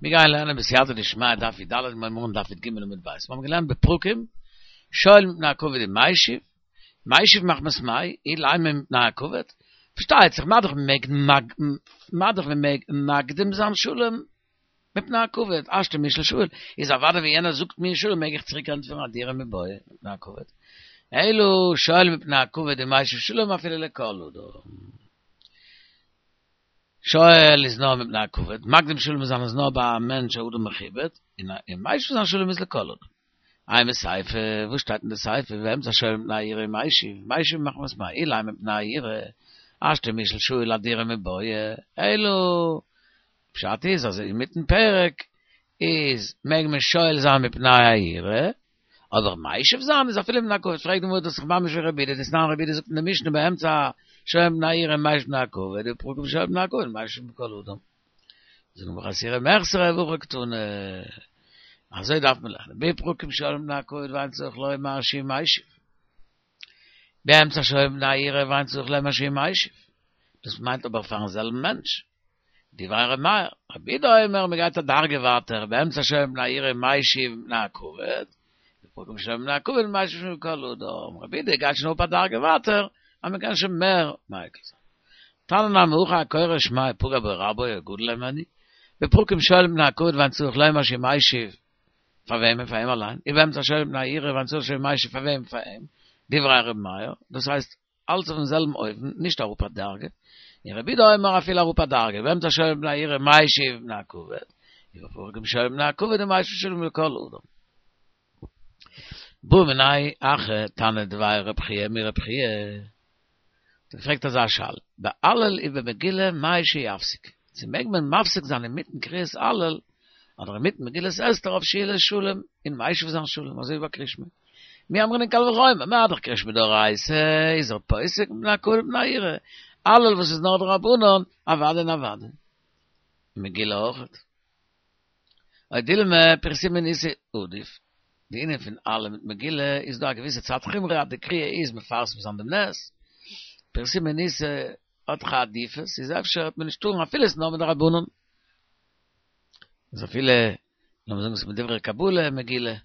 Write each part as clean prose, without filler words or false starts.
מיר גייען לערנען בסייעתא דשמיא דף י"ד מיר הייבן אן דף י"ג עמוד ב'. מיר האבן געלערנט בפרקים, שואל מפני הכבוד ומשיב, משיב מחמת מאי, אילימא מפני הכבוד, פארשטייט זיך מה דאך מ'מעג מה דאך מ'מעג מקדים זיין שלום מפני הכבוד, השתא מישאל שאיל, איז אוודאי ווען יענער זאגט מיר שלום מעג איך צוריק ענטפערן אהדורי מיבעיא מפני הכבוד. אלא שואל מפני הכבוד ומשיב שלום אפילו לכל אדם. שואל איז נאר מפני הכבוד, מקדים שלום זיין איז נאר ביי א מענטש א אדם מכובד, און משיב זיין שלום איז לכל אדם. אימא סיפא, וואס שטייט אין די סיפא, באמצע שואל מפני היראה ומשיב, משיב מחמת מאי, אילימא מפני היראה, השתא מישאל שאיל אהדורי מיבעיא, אלא פשט איז אז אינמיטן פרק איז מעג מען שואל זיין מפני היראה, אבער משיב זיין איז אפילו מפני הכבוד, פרעגט די גמרא דאס איז ממש ווי רבי יהודה, דתנן רבי יהודה זאגט אין די משנה באמצע שואל מפני היראה ומשיב מפני הכבוד, ובפרקים שואל מפני הכבוד ומשיב לכל אדם. זאגט די גמרא חסורי מחסרא והכי קתני, אזוי דארף מען לערנען, בפרקים שואל מפני הכבוד ואין צריך לומר שהוא משיב. באמצע שואל מפני היראה ואין צריך לומר שהוא משיב. דאס מיינט אבער פארן זעלבן מענטש. דברי ר' מאיר, רבי יהודה אומר מ'גייט א דרגה ווייטער, באמצע שואל מפני היראה ומשיב מפני הכבוד, בפרקים שואל מפני הכבוד ומשיב לכל אדם, רבי יהודה גייט שוין אפ א דרגה ווייטער, אז מ'קען שוין מער מיקל זיין. תניא נמי הכי הקורא שמא פגע בו רבו או גדול הימנו, בפרקים שואל מפני הכבוד ואין צריך לומר שהוא משיב, פאר וועמען? פאר אים אליין, ובאמצע שואל מפני היראה ואין צריך שהוא משיב פאר וועם? פאר אים, דברי ר' מאיר, דאס הייסט אלץ אויפן זעלבן אופן, נישט אראפ א דרגה, און רבי יהודה אומר אפילו אראפ א דרגה, באמצע שואל מפני היראה ומשיב מפני הכבוד, ובפרקים שואל מפני הכבוד ומשיב שלום לכל אדם. בעא מיניה אחא תנא דבי רב חייא מרב חייא, האט ער געפרעגט אזא שאלה, בהלל ובמגילה מהו שיפסיק, צו מעג מען מפסיק זיין אינמיטן קריאת הלל אדער אינמיטן מגילת אסתר אויף שאילת שלום און משיב זיין שלום אזוי ווי ביי קריאת שמע. מי אמרינן קל וחומר, מה דאך קריאת שמע דאורייתא איז ער פוסק מפני הכבוד ומפני היראה, הלל וואס איז נאר דרבנן, אוודאי און אוודאי. מגילה אויכעט. או דילמא פרסומי ניסא עדיף, די ענין פון הלל מיט מגילה איז דא א געוויסע צד חומרא אז די קריאה איז מפרסם זיין דעם נס, פרסומי ניסא האט דאך א עדיפות, איז אפשר וועט מען נישט טארן אפילו עס איז נאר מדרבנן. איז אפילו, לאמיר זאגן ס'איז מדברי קבלה מגילה,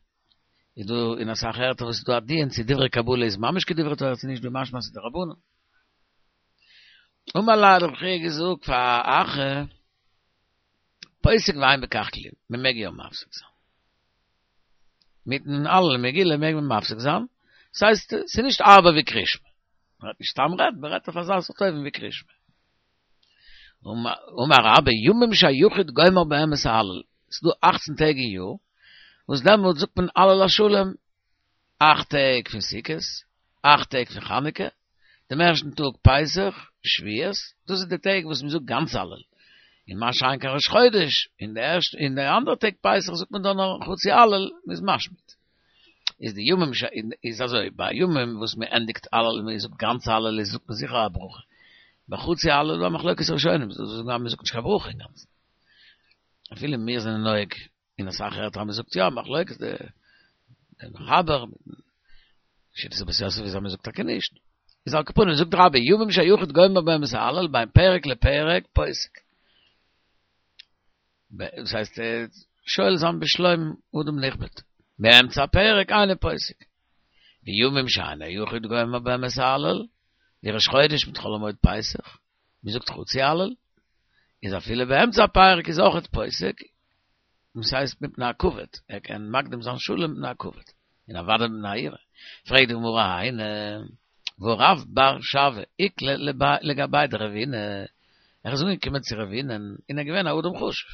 איז דא אין אסאך ערטער וואס איז דא א דיון צו דברי קבלה איז ממש כדברי תורה צו נישט דא משמע אז ס'איז דרבנן. אמר ליה האט רב חייא געזאגט פאר אחא, פוסק ואין בכך כלום, מען מעג יא מפסיק זיין. מיטן הלל מגילה מעג מען מפסיק זיין, ס'הייסט ס'איז נישט הארבער ווי קריאת שמע. מען רעדט נישט סתם רעדן, מען רעדט אויף אזא סארט אופן ווי קריאת שמע. אמר רבה, ימים שהיחיד גומר בהם את ההלל, ס'איז דא אכצן טעג אין יאר, וואס דעמאלט זאגט מען הלל השלם, אכט טעג פון סוכות, אכט טעג פון חנוכה, דעם ערשטן טאג פסח, שבועות, דאס איז די טעג וואס מען זאגט גאנץ הלל, און מה שאין כן ראש חודש, און די ערשטע און די אנדערע טעג פסח זאגט מען דאן נאר חצי הלל, מען איז משמיט. איז די ימים ש איז אזוי, ביי ימים וואס מען ענדיגט הלל און מען זאגט גאנץ הלל איז זאגט מען זיכער א ברכה, ביי חצי הלל איז דא א מחלוקת ראשונים, זיי זאגן אז מען זאגט נישט קיין ברכה אינגאנצן. אפילו מיר זענען נוהג אין אסאך ערטער אז מען זאגט יא, מחלוקת די מחבר, שיטת בית יוסף איז אז מען זאגט טאקע נישט. איז על כל פנים זאגט רבה ימים שהיחיד גומר בהם את ההלל בין פרק לפרק פוסק. דאס הייסט שואל זיין בשלום אדם נכבד. באמצע הפרק אינו פוסק. וימים שאין היחיד גומר בהם את ההלל, ווי ראש חודש מיט חול המועד פסח, מען זאגט חצי הלל, איז אפילו באמצע הפרק איז אויכעט פוסק, דאס הייסט מפני הכבוד, ער קען מקדים זיין שלום מפני הכבוד, און אוודאי מפני היראה. פרעגט די גמרא היינו, והא רב בר שוי איקלע לגביה דרבינא, ער איז אנגעקומען צו רבינא'ן און ער איז געווען א אדם חשוב.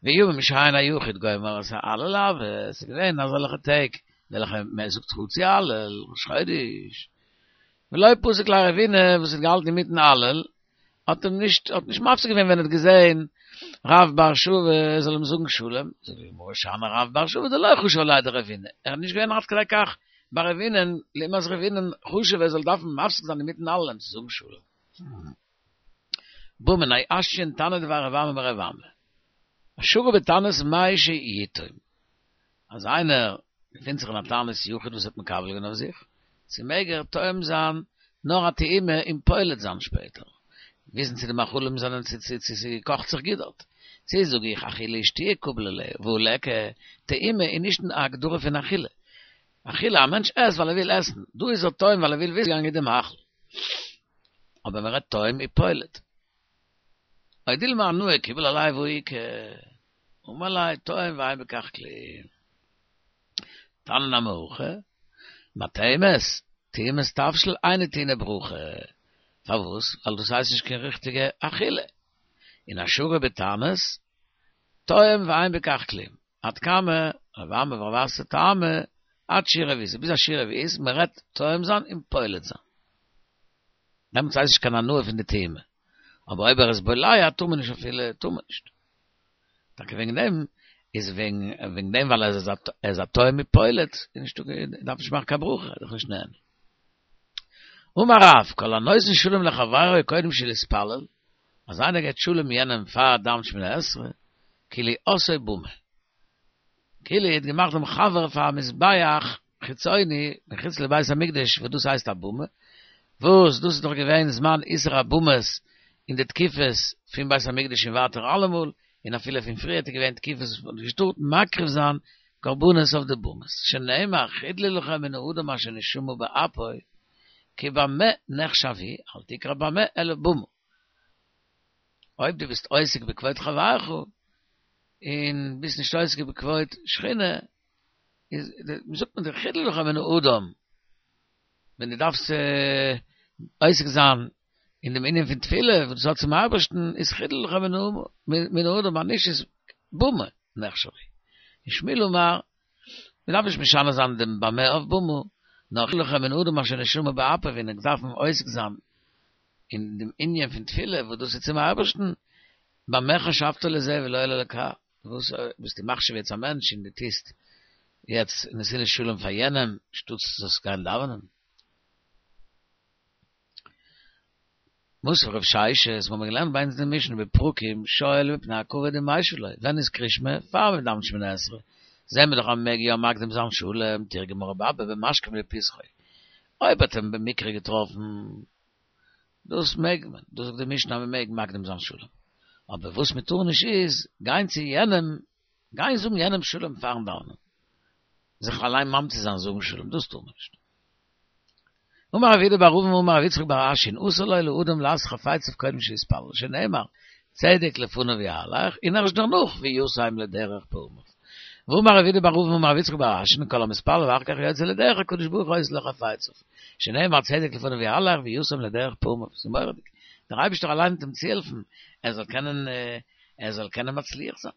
וימים שאין היחיד גומר את ההלל הוו, ס'איז געווען אזעלכע טעג וועלכע מען זאגט חצי הלל, ראש חודש, ולא פסק ליה רבינא וואס האט געהאלטן אינמיטן הלל, האט אים נישט האט נישט מפסיק געווען ווען ער האט געזען רב בר שוי זאל אים זאגן שלום, זאגט די גמרא שאני רב בר שוי דלא חשיב עליה דרבינא, ער איז נישט געווען עד כדי כך ביי רבינא'ן, לעומת רבינא'ן חשוב ער זאל דארפן מפסיק זיין אינמיטן הלל אים צו זאגן שלום. בעא מיניה אשיאן תנא דבי רב אמי מרב אמי, השגה בתענית מהו שיטעום, אז איינער געפינט זיך אין א תענית יחיד וואס האט מקבל געווען אויף זיך, צו מעג ער טועם זיין נאר א טעימה און פולט זיין שפעטער, וויסן צו די מאכלים זענען צו צו צו ס'קאכט זיך גוט דארט. צי זאג איך אכילה ושתיה קביל עליה, והא ליכא, טעימה איז נישט אין הגדרה פון אכילה. אכילה, א מענטש עסט ווייל ער וויל עסן, דא איז ער טועם ווייל ער וויל וויסן ווי געגאנגען די מאכל. אבער מען רעדט טועם ופולט. או דילמא הנאה קיבל עליה והא איכא, אמר ליה טועם ואין בכך כלום. תניא נמי הכי, מטעימת, טעימת תבשיל אינה טעונה ברכה. פארוואס? ווייל דאס הייסט נישט קיין ריכטיגע אכילה. און השרי בתענית, טועם ואין בכך כלום. עד כמה, רב אמי ורב אסי טעמא, עד שיעור רביעית, ביז א שיעור רביעית, מען רעדט טועם זיין און פולט זיין. דעמאלטס הייסט נישט קיין הנאה פון די טעימה. אבער אויב ער איז בולע טאר מען נישט אפילו, טאר מען נישט. טאקע וועגן דעם איז וועגן וועגן דעם ווייל ער איז א ער איז א טועם ופולט, איז נישטא דארף נישט מאכן קיין ברכה, איז דאך נישט נהנה. אמר רב, כל הנותן שלום לחבירו קודם שלהתפלל, אז איינער געבט שלום יענעם פאר דאווענט שמונה עשרה, כאילו עשאו במה. כאילו ער האט געמאכט דעם חבר פאר א מזבח חיצוני מחוץ לבית המקדש וואס דאס הייסט א במה, וואס דאס איז דאך געווען זמן איסור הבמות אין די תקופות פון בית המקדש און ווייטער אלעמאל, און אפילו פון פריערט איז געווען תקופות וואס מ'האט נישט געטארט מקריב זיין קרבנות אויף די במות, שנאמר חדלו לכם מן האדם אשר נשמה באפו, כי במה נחשב הוא, אל תקרי במה אלא במה. אויב דו ביסט עוסק בכבוד חברך, און ביסט נישט עוסק בכבוד שכינה, איז זאגט מען דיר חדלו לכם מן האדם, ווען דו דארפסט עוסק זיין אין דעם ענין פון תפילה וואס דאס האט צום אייבערשטן, איז חדלו לכם מן האדם, אז נישט איז במה נחשב הוא. און שמואל אמר, מען דארף נישט משנה זיין דעם במה אויף במה, נאר חדלו לכם מן האדם אשר נשמה באפו, ווען ענק דארפן עוסק זיין אין דעם ענין פון תפילה וואס דאס איז צום אייבערשטן, במה חשבת לזה ולא לאלקה, וואס ביסטו מחשיב יעצט א מענטש און דו טוסט יעצט נתינת שלום פאר יענעם שטאטס זאלסט גיין דאווענען? מתיב רב ששת, מ'האמיר געלערנט ביי אונז אין די משנה בפרקים שואל מפני הכבוד ומשיב לו, ווען איז קריאת שמע? פאר מען דאווענט שמונה עשרה, זעהן מיר דאך אז מ'מעג יא מקדים זיין שלום, תרגמה רב אבא במשכים לפתחו, אויב האט אים במקרה געטראפן דאס מעג מען, דאס זאגט די משנה אז מען מעג מקדים זיין שלום, אבער וואס מען טאר נישט איז גיין צו יענעם, גיין זאגן יענעם שלום פארן דאווענען, זיך אליין ממציא זיין זאגן שלום, דאס טאר מען נישט. אמר רב יהודה בר אבין אמר רב יצחק בר אשי אסור לו לאדם לעשות חפציו קודם שיתפלל, שנאמר צדק לפניו יהלך, און ערשט דערנאך וישם לדרך פעמיו. ואמר רב יהודה בר אבין אמר רב יצחק בר אשי כל המתפלל ואחר כך יוצא לדרך הקדוש ברוך הוא עושה לו חפציו, שנאמר צדק לפניו יהלך וישם לדרך פעמיו, ס'איז מורא'דיג, דער אייבערשטער אליין וועט אים צוהעלפן ער זאל קענען ער זאל קענען מצליח זיין.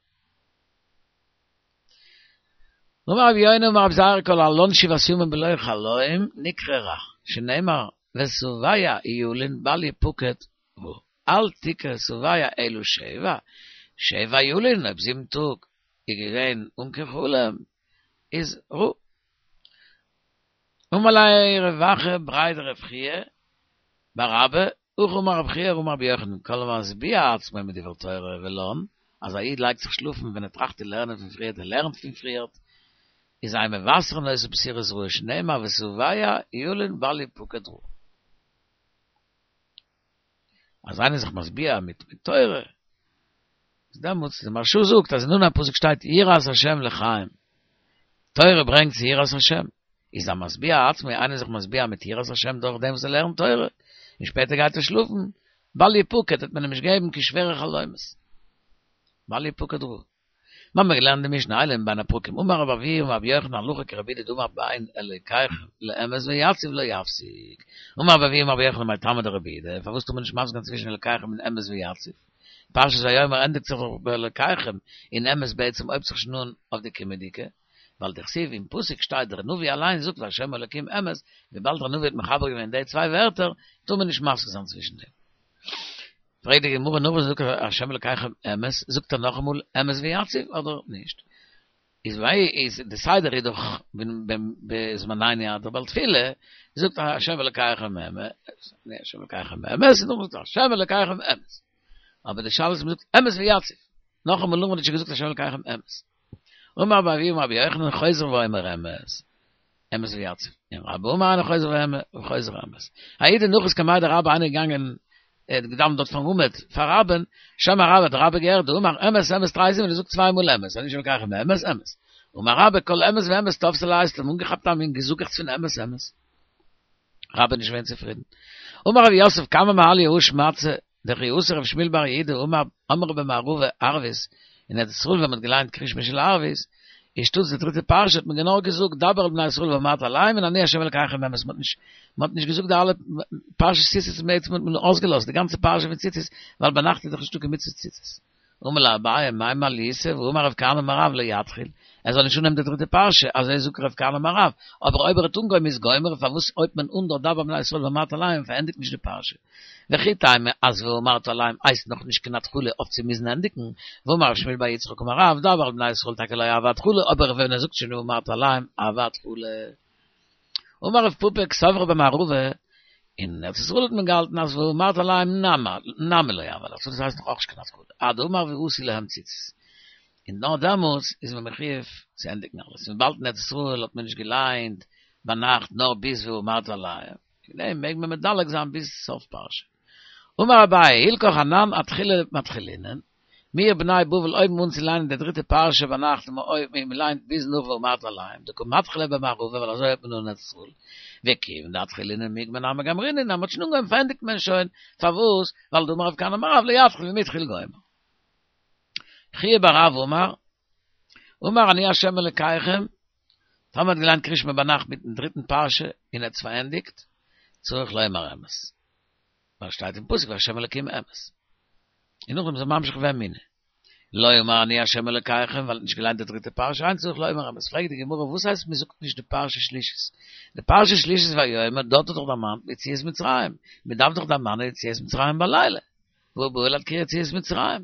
אמר רבי יונה אמר רבי זירא כל הלן שבעת ימים בלא חלום נקרא רע, שנאמר ושבע ילין בל יפקד רע, אל תקרי שבע אלא שבע, שבע ילין אויב זיבן טאג איז געווען אן קיין חלום איז רע. אמר ליה רב אחא בריה דרב חייא בר אבא, הכי אמר רב חייא אמר רבי יוחנן, כל המשביע עצמו מדברי תורה ולן, אז א איד לייגט זיך שלאפן ווען ער טראכט צו לערנען פון פריערט ער לערנט פון פריערט, איז אין מבשרין אותו בשורות רעות שנאמר ושבע ילין בל יפקד רע. אז איינער איז זיך משביע מיט תורה, איז דעמאלטס, דער מהרש"א זאגט אז אין אנהייב פסוק שטייט יראת השם לחיים, תורה ברענגט צו יראת השם, איז המשביע עצמו, איינער איז זיך משביע מיט יראת השם דורך דעם וואס ער לערנט תורה, און שפעטער גייט ער שלאפן, בל יפקד, וועט מען אים נישט געבן קיין שווערע חלומות. בל יפקד רע. מיר האבן געלערנט די משנה אלו הן בין הפרקים אמר רבי אבהו אמר רבי יוחנן הלכה כרבי יהודה דאמר בין אלוקיכם לאמת ויציב לא יפסיק אמר רבי אבהו אמר רבי יוחנן מאי טעמא דרבי יהודה פארוואס טאר מען נישט מפסיק זיין צווישן אלוקיכם און אמת ויציב פרשת ויאמר ענדיגט זיך דאך באלוקיכם און אמת בעצם הויבט זיך שוין אן אויף די קומענדיגע ווייל דכתיב אין פסוק שטייט דער נביא אליין זאגט והשם אלוקים אמת וויבאלד דער נביא האט מחבר געווען די צוויי ווערטער טאר מען נישט מפסיק זיין צווישן דעם. פרעגט די גמרא נאך וואס זאגט ער השם אלקיכם אמת, זאגט ער נאכאמאל אמת ויציב אדער נישט? איז וויי איז די סדר איז דאך בזמנינו אז דער בעל תפילה זאגט השם אלקיכם אמת, השם אלקיכם אמת, און נאכדעם זאגט ער השם אלקיכם אמת. אבער די שאלה איז מ'זאגט אמת ויציב. נאכאמאל נאך וואס מ'האט שוין געזאגט השם אלקיכם אמת. אמר רבי אבהו אמר רבי יוחנן חוזר ואומר אמת. אמת ויציב. און רבה אמר אינו חוזר ואומר חוזר אמת. ההוא דנחית קמיה דרבה איינער געגאנגען. ער האט געדאווענט דארט פארן עמוד פאר רבה'ן, שמע רבה האט רבה געהערט דאמר אמת אמת תרי זימני ער זאגט צוויי מאל אמת, אני השם אלקיכם אמת אמת, אמר רבה כל אמת ואמת תפסיה ליה האט אים אנגעכאפט א מין געזאגעכץ פון אמת אמת. רבה איז נישט געווען צופרידן. אמר רב יוסף כמה מעליא הא שמעתתא דכי אתא רב שמואל בר יהודה אמר אמרי במערבא ערבית אין ארץ ישראל ווען מען האט געליינט קריאת שמע של ערבית איז שטאטס די דריטע פרשה האט מען גענוי געזאגט דבר אל בני ישראל ואמרת אליהם און אני ה' אלקיכם אמת מען האט נישט מען האט נישט געזאגט די אלע פרשת ציצית מען האט מען אויסגעלאזט די גאנצע פרשה פון ציצית ווייל ביינאכט איז דאך נישטא קיין מצוות ציצית. אמר ליה אביי מאי מעליותא והאמר רב כהנא אמר רב לא יתחיל, ער זאל נישט אנהייבן די דריטע פרשה, אזוי זאגט רב כהנא אמר רב, אבער אויב ער האט אנגעהויבן איז גומר, פארוואס הויבט מען אן דארט דבר אל בני ישראל ואמרת אליהם און פארענדיגט נישט די פרשה? וכי תימא אז ואמרת אליהם הייסט נאך נישט קיין התחלה אויף צו מוזן ענדיגן, והאמר רב שמואל בר יצחק אמר רב, דבר אל בני ישראל טאקע לא הוי התחלה, אבער ווען ער זאגט שוין ואמרת אליהם הוי התחלה. אמר רב פפא קסברי במערבא, אין ארץ ישראל האט מען געהאלטן אז ואמרת אליהם נמי לא הוי התחלה, דאס הייסט נאך אויך נישט קיין התחלה, עד דאמר ועשו להם ציצית. און נאר דעמאלטס איז מען מחויב צו ענדיגן אלעס, וויבאלד אין ארץ ישראל האט מען נישט געליינט ביינאכט נאר ביז ואמרת אליהם, וועגן דעם מעג מען מדלג זיין ביז סוף פרשה. אמר אביי, הלכך אנן אתחולי מתחילינן, מיר בני בבל הויבן אן צו ליינען די דריטע פרשה ביינאכט און מען ליינט ביז נאך ואמרת אליהם, דקא מתחילי במערבא ווייל אזוי האלט מען אין ארץ ישראל, וכיוון דאתחלינן מיגמר נמי גמרינן, אז מען האט שוין אנגעהויבן פארענדיגט מען שוין, פארוואס? ווייל דאמר רב כהנא אמר רב לא יתחיל ואם התחיל גומר. חייא בר רב אמר, אמר אני ה' אלקיכם, טאמער האט געליינט קריאת שמע ביינאכט מיטן דריטן פרשה און ער האט עס פארענדיגט, צריך לומר אמת. ווייל שטייט אין פסוק והשם אלקים אמת. און נאכדעם איז ער ממשיך ואמונה. לא אמר אני השם אלקיכם, ווייל ער האט נישט געליינט די דריטע פרשה, אין צריך לומר אמת. פרעגט די גמרא וואס הייסט מען זאגט נישט די פרשה שלישית? די פרשה שלישית ויאמר, דארט האט דאך דערמאנט יציאת מצרים. מען דארף דאך דערמאנען יציאת מצרים בלילה. והוא בא אל קריאת יציאת מצרים.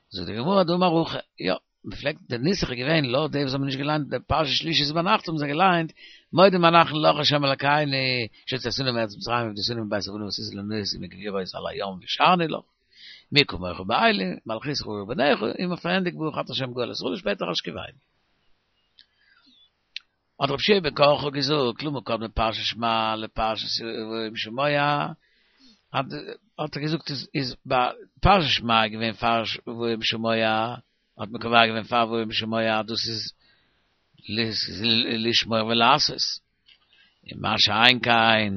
זאגט די גמרא דאמר הכי, יא, מ'פלעגט, די נוסח איז געווען, לויט די וואס האבן נישט געליינט די פרשה שלישית ביינאכט האבן זיי געליינט, מודים אנחנו לך ה' אלקינו, שהוצאתנו מארץ מצרים ופדיתנו מבית עבדים ועשית לנו נסים וגבורות על הים והשארנו לך, מי כמוך באלים, מלכותך ובניך, און מען פארענדיגט ברוך אתה ה' גואל ישראל און שפעטער השכיבנו. האט רבי יהושע בן קרחה געזאגט, למה קדמה פרשת שמע לפרשת והיה אם שמוע, האט ער געזאגט איז ביי פרשת שמע איז געווען פאר והיה אם שמוע, האט מען קובע געווען פאר והיה אם שמוע דאס איז לשמור ולעשות, און מה שאין כן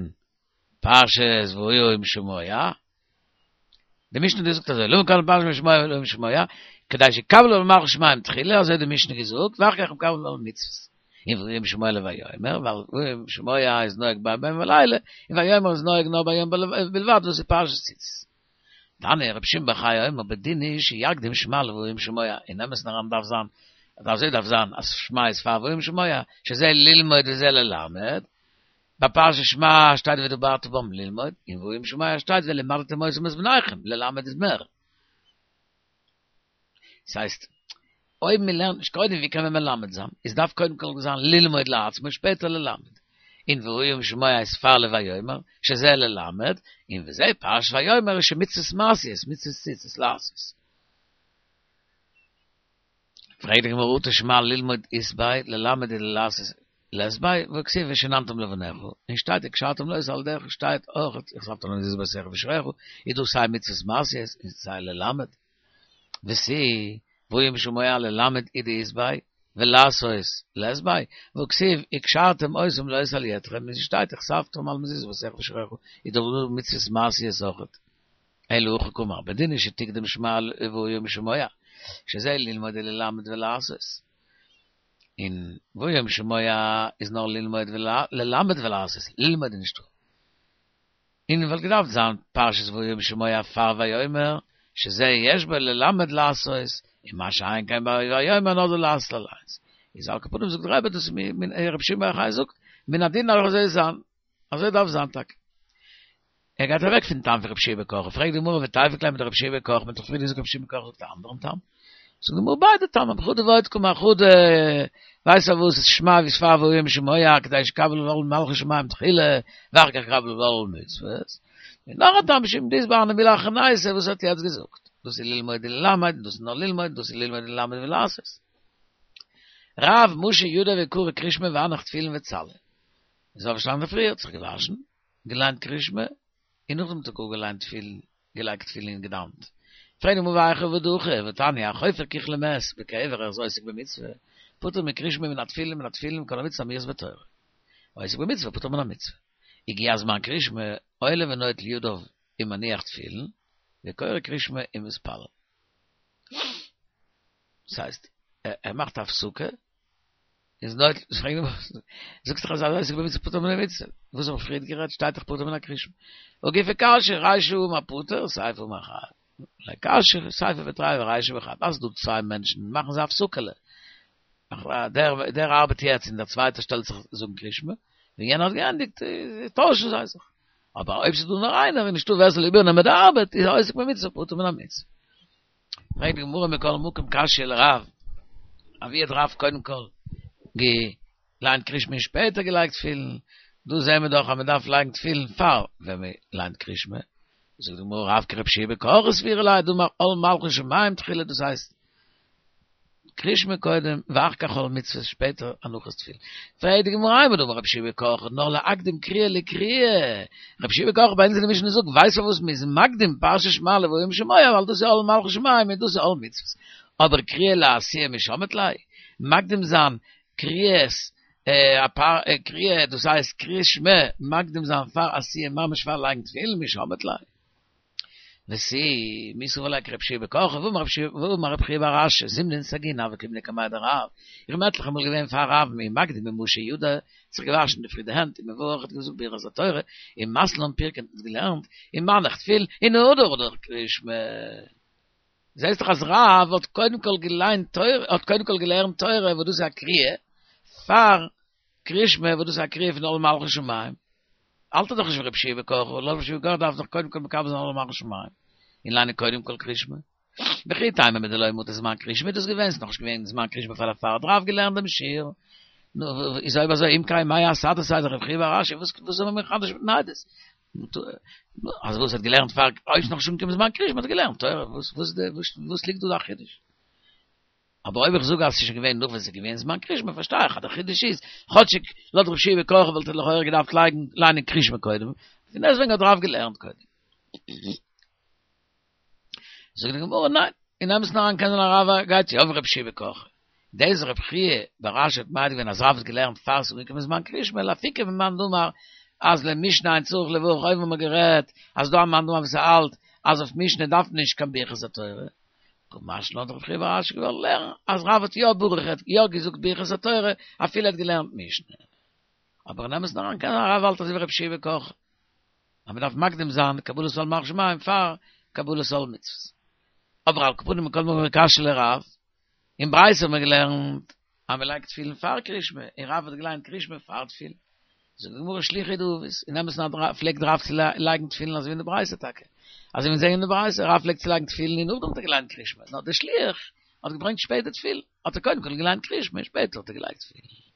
פרשת והיה אם שמוע, די משנה האט געזאגט אזוי, למה קדמה פרשת שמע לוהיה אם שמוע, כדי שיקבל עול מלכות שמים תחילה, אזוי האט די משנה געזאגט, ואחר כך מקבל עול מצוות. און והיה אם שמוע לויאמר, ווייל והיה אם שמוע איז נוהג ביום ולילה, און ויאמר איז נוהג נאר ביום בלבד, דאס איז פרשת ציצית. תניא רבי שמעון בר יוחאי אומר בדין הוא שיקדים שמע לוהיה אם שמוע, אין אמת'ן אריין דארף זיין, אזוי דארף זיין, אז שמע איז פאר והיה אם שמוע, שזה ללמוד וזה ללמד, ביי פרשת שמע שטייט ודברת בם ללמוד, און והיה אם שמוע שטייט ולמדתם אותם את בניכם, ללמד איז מער. ס'הייסט, אויב מען לערנט נישט קודם ווי קען מען מלמד זיין? עס דארף קודם כל זיין ללמוד לעצמו שפעטער ללמד. און והיה אם שמוע איז פאר לויאמר, שזה ללמד, און וזה פרשת ויאמר איז שמצוות מעשיות, מצוות ציצית לעשות. פרעגט די גמרא אטו שמע ללמוד אית ביה ללמד ולעשות לית ביה והכתיב ושננתם לבניך און שטייט וקשרתם לאות על ידך שטייט אויך וכתבתם על מזוזות ביתך ובשעריך איז דא סיי מצוות מעשיות און סיי ללמד ותו והיה אם שמוע ללמד הוא דאית ביה ולעשות לית ביה והכתיב וקשרתם אותם לאות על ידכם און ס'שטייט וכתבתם על מזוזות ביתך ובשעריך איז דאך דא מצוות מעשיות אויכעט. אלא הכי קאמר, בדין הוא שתקדים שמע לוהיה אם שמוע, שזה ללמוד וללמד ולעשות. און והיה אם שמוע איז נאר ללמוד ללמד ולעשות, ללמוד איז נישטא. און וואלט געדארפט זיין פרשת והיה אם שמוע פאר ויאמר, שזה יש בו ללמד לעשות, און מה שאין כן ביי ויאמר נאר די לעשות אליינס. איז על כל פנים זאגט דער רבי דאס איז מין רבי שמעון בר יוחאי זאגט, מן הדין דארף אזוי זיין. אזוי דארף זיין טאקע. ער גייט אוועק פון טעם פון רבי יהושע בן קרחה, פרעגט די גמרא ותיפוק ליה מדרבי יהושע בן קרחה, מ'האט דאך פריער געזאגט רבי יהושע בן קרחה זאגט א אנדערן טעם. זאגט די גמרא ביידע טעמים, חדא ועוד קאמר חדא, ווייסט פארוואס איז שמע איז פאר והיה אם שמוע כדי שיקבל עול מלכות שמים תחילה ואחר כך יקבל עול מצוות. און נאך א טעם משום דאית ביה הני מילי אחרנייתא וואס האט יעצט געזאגט. דאס איז ללמוד וללמד, דאס איז נאר ללמוד, דאס איז ללמוד וללמד ולעשות. רב משי ידיה וקרי קרישמע והנח תפילין וצלי. איז אויפגעשטאנען אינדערפרי, האט זיך געוואשן, געליינט קרישמע, און נאכדעם האט ער גאר געליינט תפילין, געלייגט תפילין און געדאוונט. פרעגט די גמרא והיכא עביד הכי, והתניא, החופר כוך למת בקבר ער איז עוסק במצוה, פטור מקריאת שמע מן התפילין מן התפילין מכל המצוות האמורות בתורה. עוסק במצוה פטור מן המצוה. הגיע זמן קריאת שמע, עולה ונוטל ידיו ומניח תפילין, וקורא קריאת שמע ומתפלל. דאס הייסט, ער מאכט א הפסקה, איז נויט, זאגסט דאך אז עוסק במצוה פטור מן המצוה, וואס האב איך פריערט גערעדט, שטייט דאך פטור מן הקריאת שמע. הא גופא קשיא, רישא אמר פטור, סיפא אמר חייב. לא קשיא, סיפא בתרייהו ורישא בחד, אז ס'דא צוויי מענטשן, מאכן זיי א הפסקה'לע. דער דער ארבעט יעצט און דער צווייטער שטעלט זיך זאגן קריאת שמע, ווען יענער האט געענדיגט, טוישן זיי זיך. אבער אויב ס'איז דא נאר איינער און נישטא ווער ס'זאל איבערנעמען די ארבעט, איז עוסק במצוה פטור מן המצוה. פרעגט די גמרא מכל מקום קשיא לרב, אוואו האט רב קודם כל געליינט קריאת שמע און שפעטער געלייגט תפילין, דא זעהן מיר דאך אז מען דארף לייגן תפילין פאר ווען מען ליינט קריאת שמע, זאגט די גמרא רב כרבי יהושע בן קרחה סבירא ליה דאמר עול מלכות שמים תחילה דאס הייסט קריאת שמע קודם ואחר כך עול מצוות שפעטער הנחת תפילין. פרעגט די גמרא אימר דאמר רבי יהושע בן קרחה נאר להקדים קריאה לקריאה, רבי יהושע בן קרחה ביי אונז אין די משנה זאגט ווייסט פארוואס מ'איז מקדים פרשת שמע לוהיה אם שמוע ווייל דאס איז עול מלכות שמים און דאס איז עול מצוות, אבער קריאה לעשיה מי שמעת ליה, מקדים זיין קריאת קריאה דאס הייסט קריאת שמע מקדים זיין פאר עשיה ממש פאר לייגן תפילין מי שמעת ליה. ותו, מי סבר לה כרבי יהושע בן קרחה, והאמר רב חייא בר אשי, זימנין סגינא הוה קאימנא קמיה דרב, איך בין עטליכע מאל געווען פאר רב ומקדים ומשי ידיה, זיך געוואשן אין די פרי די הענט, ומברך האט געזאגט ברכת התורה, ומתני לן פירקא האט אונז געלערנט, ומניח תפילין, און הדר הדר קריאת שמע. זעסט דאך אז רב האט קודם כל געליינט תורה, האט קודם כל געלערנט תורה וואס דאס איז א קריאה, פאר קריאת שמע וואס דאס איז א קריאה פון עול מלכות שמים, האלט ער דאך נישט ווי רבי יהושע בן קרחה, לויט רבי יהושע בן קרחה דארף דאך קודם כל מקבל זיין עול מלכות שמים, און ליינען קודם כל קריאת שמע. וכי תימא מדלא מטא זמן קריאת שמע איז דאס געווען, ס'איז נאכנישט געווען זמן קריאת שמע פאר דערפאר האט רב געלערנט דעם שיעור. נו, איז אויב אזוי אם כן מאי אסהדתיה דרב חייא בר אשי, וואס וואס זאל מען מחדש מיטן עדות? אז וואס האט געלערנט פאר אויב ס'נאך נישט אנגעקומען זמן קריאת שמע האט ער געלערנט תורה, וואס וואס וואס ליגט דא די חידוש? אבער אויב איך זאג אז ס'איז שוין געווען נאך ווען ס'איז געווען זמן קריאת שמע פארשטיי איך אז דער חידוש איז, כאטשיג לויט רבי יהושע בן קרחה וואלט ער לכאורה געדארפט לייגן ליינען קריאת שמע קודם, פון דעסטוועגן האט רב געלערנט קודם. זאגט די גמרא ניין, אין אמת'ן אריין קען זיין אז רב גייט יא ווי רבי יהושע בן קרחה. דאס רב חייא בר אשי האט מעיד געווען אז רב האט געלערנט פאר ס'איז אנגעקומען זמן קריאת שמע לאפוקי ממאן דאמר אז למשנה אין צריך לברך אויבן האבן מיר גערעדט אז דא א מאן דאמר וואס האלט אז אויף משנה דארף מען נישט קיין ברכת התורה, קא משמע לן האט רב חייא בר אשי געוואלט לערנען אז רב האט יא ברוך האט יא געזאגט ברכת התורה אפילו ער האט געלערנט משנה. אבער אין אמת'ן אריין קען זיין רב האלט אזוי ווי רבי יהושע בן קרחה אז מ'דארף מקדים זיין קבלת עול מלכות שמים פאר קבלת עול מצוות. אבער על כל פנים מכל מקום קשיא לרב, אין ברייתא האט מען געלערנט אז מ'לייגט תפילין פאר קריאת שמע, און רב האט געליינט קריאת שמע פאר תפילין. זאגט די גמרא שליחא הוא דעביד, אין אמת'ן פלעגט רב צו לייגן תפילין אזוי ווי אין די ברייתא טאקע. אזוי ווי מיר זעען אין די ברייתא, רב פלעגט צו לייגן תפילין און נאכדעם האט ער געליינט קריאת שמע, נאר דער שליח האט געברענגט שפעטער תפילין, האט ער קודם כל געליינט קריאת שמע און שפעטער האט ער געלייגט תפילין.